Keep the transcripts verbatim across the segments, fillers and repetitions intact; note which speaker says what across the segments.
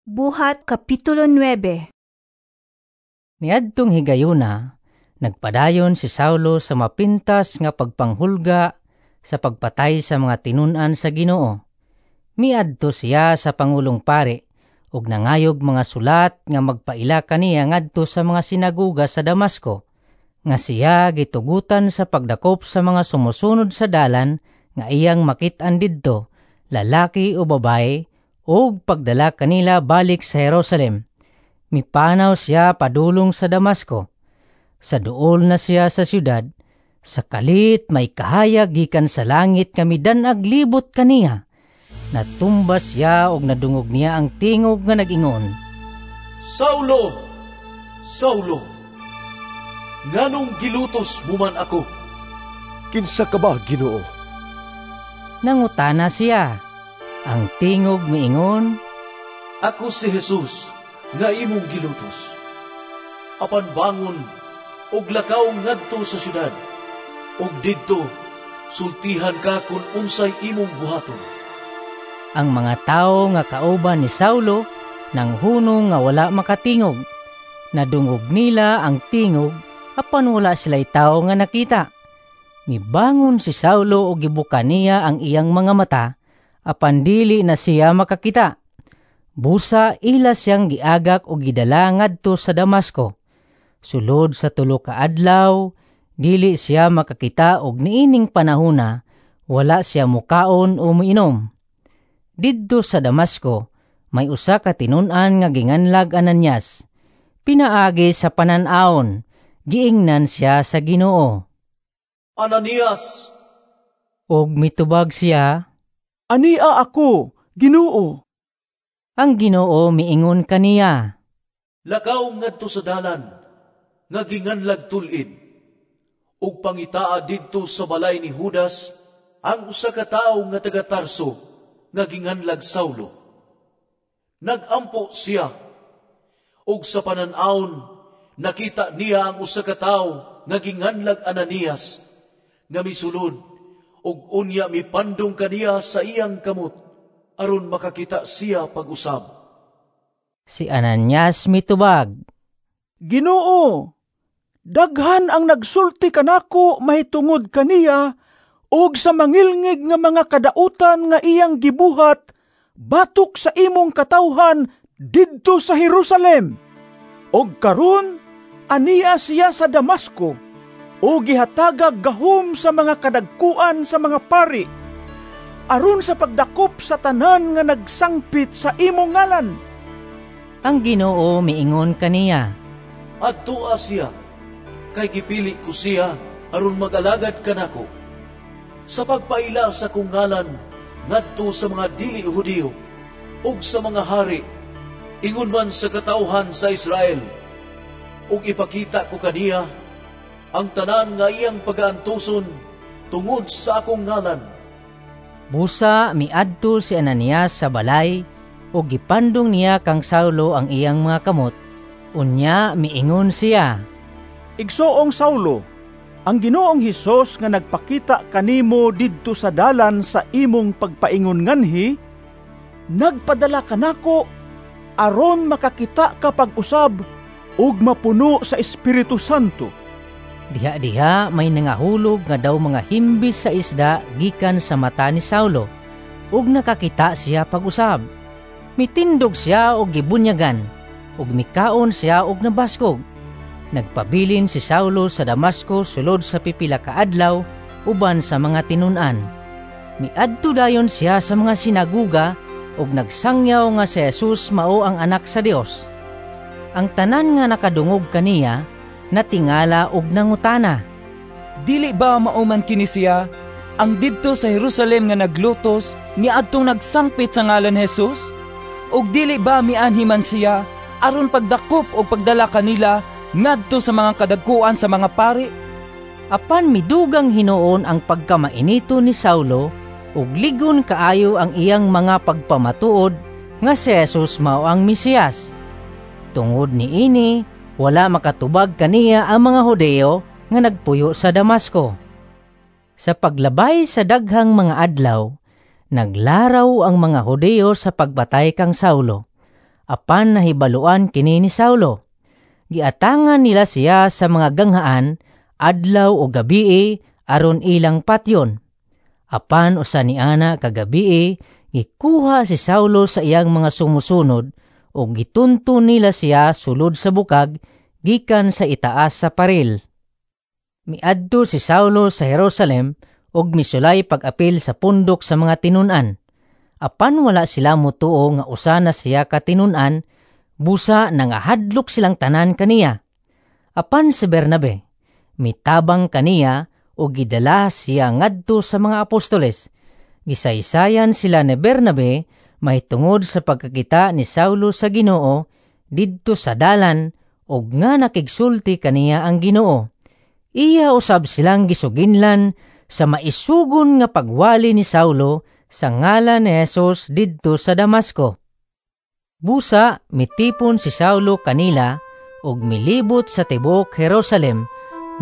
Speaker 1: Buhat Kapitulo nuwebe.
Speaker 2: Niadtong higayuna, nagpadayon si Saulo sa mapintas nga pagpanghulga sa pagpatay sa mga tinun-an sa Ginoo. Miadto siya sa pangulong pari ug nangayog mga sulat nga magpaila kaniya ngadto sa mga sinaguga sa Damasco, nga siya gitugutan sa pagdakop sa mga sumusunod sa Dalan nga iyang makit-an didto, lalaki o babaye, ug pagdala kanila balik sa Jerusalem. Mipanaw siya padulong sa Damasco. Sa duol na siya sa syudad, sa kalit may kahayag gikan sa langit nga midan-ag libot kaniya. Natumba siya og nadungog niya ang tingog nga nag-ingon,
Speaker 3: "Saulo! Saulo! Nganong gilutos mo man ako?"
Speaker 4: "Kinsa ka ba, Ginoo?"
Speaker 2: nangutana siya. Ang tingog miingon,
Speaker 3: "Ako si Jesus nga imong gilutos. Apan bangon ug lakaw ngadto sa syudad, ug didto sultihan ka kun unsay imong buhaton."
Speaker 2: Ang mga tawo nga kauban ni Saulo nanghunong nga wala makatingog. Nadungog nila ang tingog apan wala sila'y tawo nga nakita. Mibangon si Saulo ug gibuka niya ang iyang mga mata, apan dili na siya makakita. Busa ila siyang giagak og gidala ngadto sa Damasco. Sulod sa tulo ka adlaw, dili siya makakita og niining panahona wala siya mukaon o muinom. Didto sa Damasco, may usa ka tinun-an nga ginganlag Ananias. Pinaagi sa panan-awon, giingnan siya sa Ginoo.
Speaker 3: "Ananias!"
Speaker 2: Og mitubag siya,
Speaker 5: "Ania ako, Ginoo."
Speaker 2: Ang Ginoo miingon kaniya,
Speaker 3: "Lakaw ngadto sa dalan nga ginganlag Tul-id, ug pangitaa didto sa balay ni Judas ang usa ka tawo nga taga Tarso nga ginganlag Saulo. Nagampo siya, ug sa panan-awon nakita niya ang usa ka tawo nga ginganlag Ananias nga misulod ug unya mipandong kaniya sa iyang kamot aron makakita siya pag-usab."
Speaker 2: Si Ananias mitubag,
Speaker 5: "Ginoo, daghan ang nagsulti kanako mahitungod kaniya ug sa mangilngig nga mga kadautan nga iyang gibuhat batok sa imong katawhan didto sa Jerusalem. Og karon ania siya sa Damasco ug gihatagag gahom sa mga kadagkuan sa mga pari aron sa pagdakop sa tanan nga nagsangpit sa imong ngalan."
Speaker 2: Ang Ginoo miingon kaniya,
Speaker 3: "Adtoa siya, kay gipili ko siya aron mag-alagad kanako sa pagpaila sa akong ngalan ngadto sa mga dili Hudiyo ug sa mga hari, ingon man sa katawhan sa Israel. Ug ipakita ko kaniya ang tanan nga iyang pagaantuson tungod sa akong ngalan."
Speaker 2: Busa miadto si Ananias sa balay ug gipandong niya kang Saulo ang iyang mga kamot. Unya miingon siya,
Speaker 5: "Igsoong Saulo, ang Ginoong Hesus nga nagpakita kanimo didto sa dalan sa imong pagpaingon nganhi, nagpadala kanako aron makakita ka pag-usab ug mapuno sa Espiritu Santo."
Speaker 2: Diha-diha may nangahulog nga daw mga himbis sa isda gikan sa mata ni Saulo, ug nakakita siya pag-usab. Mitindog siya og gibunyagan, ug mikaon siya og nabaskog. Nagpabilin si Saulo sa Damasco sulod sa pipila ka adlaw uban sa mga tinun-an. Miadto dayon siya sa mga sinaguga ug nagsangyaw nga si Jesus mao ang anak sa Dios. Ang tanan nga nakadungog kaniya natingala og nangutana,
Speaker 6: "Dili ba mao man kini siya ang didto sa Jerusalem nga naglutos niadtong nagsangpit sa ngalan ni Jesus? Ug dili ba mianhi man siya aron pagdakop og pagdala kanila ngadto sa mga kadagkuan sa mga pari?"
Speaker 2: Apan midugang hinuon ang pagkamainito ni Saulo ug ligon kaayo ang iyang mga pagpamatuod nga si Jesus mao ang Mesiyas. Tungod niini, wala makatubag kaniya ang mga Hudeo nga nagpuyo sa Damasco. Sa paglabay sa daghang mga adlaw, naglaraw ang mga Hudeo sa pagbatay kang Saulo. Apan nahibaluan kini ni Saulo. Giatangan nila siya sa mga ganghaan adlaw o gabii aron ilang patyon. Apan usa ni ana ka gabii, gikuha si Saulo sa iyang mga sumusunod ug gitunton nila siya sulod sa bukag gikan sa itaas sa paril. Miadto si Saulo sa Jerusalem ug misulay pag-apil sa pundok sa mga tinun-an. Apan wala sila motuo nga usa na siya ka tinun-an, busa nangahadlok silang tanan kaniya. Apan si Bernabe mitabang kaniya ug gidala siya ngadto sa mga apostoles. Gisaysayan sila ni Bernabe mahitungod sa pagkakita ni Saulo sa Ginoo didto sa dalan ug nga nakigsulti kaniya ang Ginoo. Iya usab silang gisuginlan sa maisugon nga pagwali ni Saulo sa ngalan ni Jesus didto sa Damasco. Busa mitipon si Saulo kanila ug milibot sa tibuok Jerusalem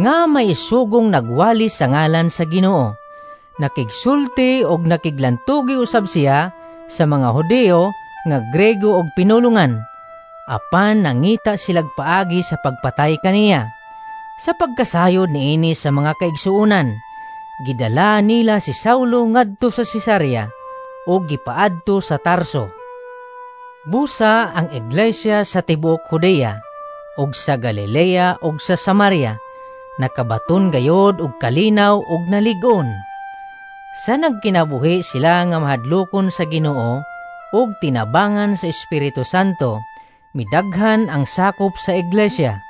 Speaker 2: nga maisugong nagwali sa ngalan sa Ginoo. Nakigsulti og nakiglantugi usab siya sa mga Hudeo nga Grego og pinulungan. Apan nangita silag paagi sa pagpatay kaniya. Sa pagkasayod niini sa mga kaigsuonan, gidala nila si Saulo ngadto sa Cesarea ug gipaadto sa Tarso. Busa ang iglesia sa tibuok Judea ug sa Galilea ug sa Samaria nakabaton gayod og kalinaw ug nalig-on. Sa nagkinabuhi sila nga mahadlokon sa Ginoo ug tinabangan sa Espiritu Santo, midaghan ang sakop sa iglesia.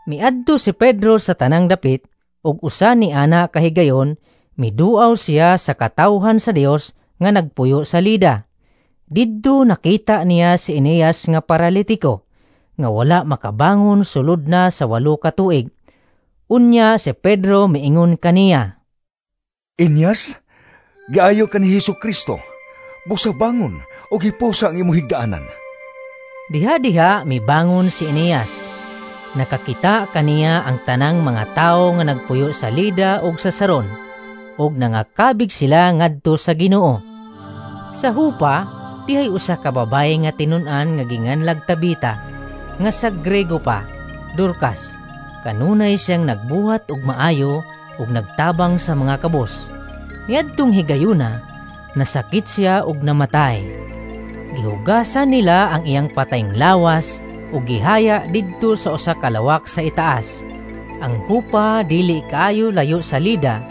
Speaker 2: Miadto si Pedro sa tanang dapit ug usa ni ana kahigayon miduaw siya sa katawhan sa Dios nga nagpuyo sa Lida. Didto nakita niya si Eneas nga paralitiko nga wala makabangon sulod na sa walo ka tuig. Unya si Pedro miingon kaniya,
Speaker 7: Eneas, giayo ka ni Hesus Kristo. Busa bangon ug hipusa ang imong higdaanan.
Speaker 2: Diha-diha mibangon si Eneas. Nakakita kaniya ang tanang mga tawo nga nagpuyo sa Lida ug sa Saron, ug nangakabig sila ngadto sa Ginoo. Sa Hupa, dihay usa ka babayi nga tinun-an nga ginganlag Tabita, nga sa Grego pa, Dorcas. Kanunay siyang nagbuhat og maayo ug nagtabang sa mga kabos. Niadtong higayuna, nasakit siya ug namatay. Gihugasan nila ang iyang patayng lawas ug gihaya didto sa usa ka lawak sa itaas. Ang Hupa dili kaayo layo sa Lida,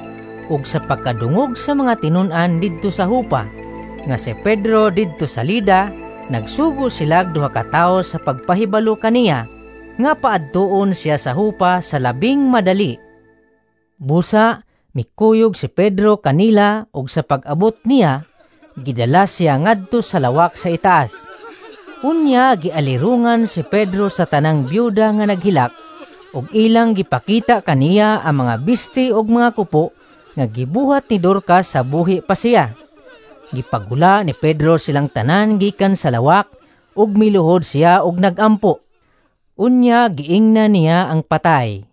Speaker 2: ug sa pagkadungog sa mga tinun-an didto sa Hupa nga si Pedro didto sa Lida, nagsugo sila duha ka tawo sa pagpahibalo kaniya nga paadtuon siya sa Hupa sa labing madali. Busa mikuyog si Pedro kanila ug sa pag-abot niya gidala siya ngadto sa lawak sa itaas. Unya gialirungan si Pedro sa tanang byuda nga naghilak ug ilang gipakita kaniya ang mga bisti ug mga kupo nga gibuhat ni Dorcas sa buhi pa siya. Gipagula ni Pedro silang tanan gikan sa lawak ug miluhod siya ug nagampo. Unya giingna niya ang patay.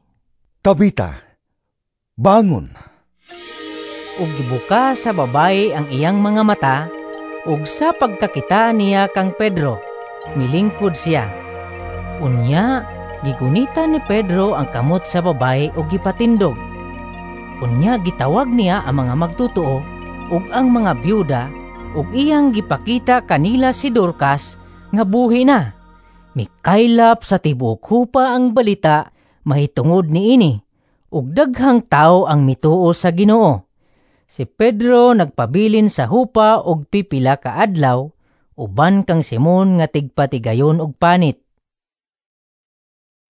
Speaker 7: Tabita, bangon.
Speaker 2: Ug gibuka sa babayi ang iyang mga mata ug sa pagkakita niya kang Pedro, milingkod siya. Unya, gigunita ni Pedro ang kamot sa babayi ug gipatindog. Unya gitawag niya ang mga magtutuo ug ang mga byuda ug iyang gipakita kanila si Dorcas nga buhi na. Mikaylap sa tibuok Hupa ang balita mahitungod niini ug daghang tawo ang mituo sa Ginoo. Si Pedro nagpabilin sa Hupa og pipila ka adlaw uban kang Simon nga tigpatigayon og panit.